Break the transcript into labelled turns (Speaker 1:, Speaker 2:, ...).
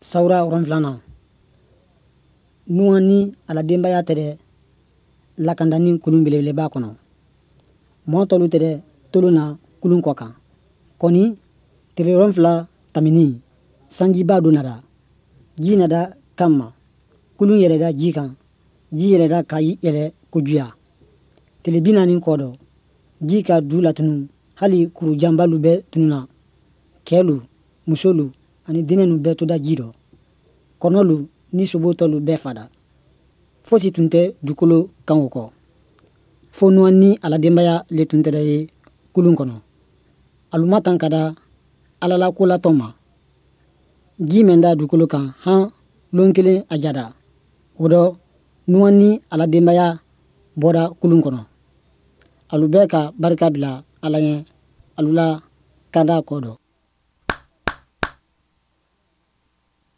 Speaker 1: Sawura 7nan. Nuwan ni a la denbaya tɛrɛ lakandanin kulun belebeleba kɔnɔ. Mɔɔ tɔlu tɛrɛ tolon na kulun kɔ kan. Kɔni, tile 7 taminin, sanjiba dɔ nada. Ji nada kan ma. Kulun yɛlɛda ji kan. Ji yɛlɛda ka yɛlɛ kojuya. Tile 40 kɔ dɔ, ji ka du latunu, hali kurujanbalu bɛɛ tununa. Cɛlu, musolu ani denɛnu bɛɛ toda ji dɔ. Kɔnɔlu ni sobo tɔlu bɛɛ fada. Fosi tun tɛ dukolo kan o kɔ. Fo Nuwan ni a la denbaya le tun tɛrɛ ye kulun kɔnɔ. Alu matankada Ala la kolatɔn ma. Ji mɛn da dukolo kan han lon kelen a jada. O dɔ, Nuwan ni a la denbaya bɔra kulun kɔnɔ. Alu bɛɛ ka barika bila Ala ɲɛ alu la kanda kɔ dɔ.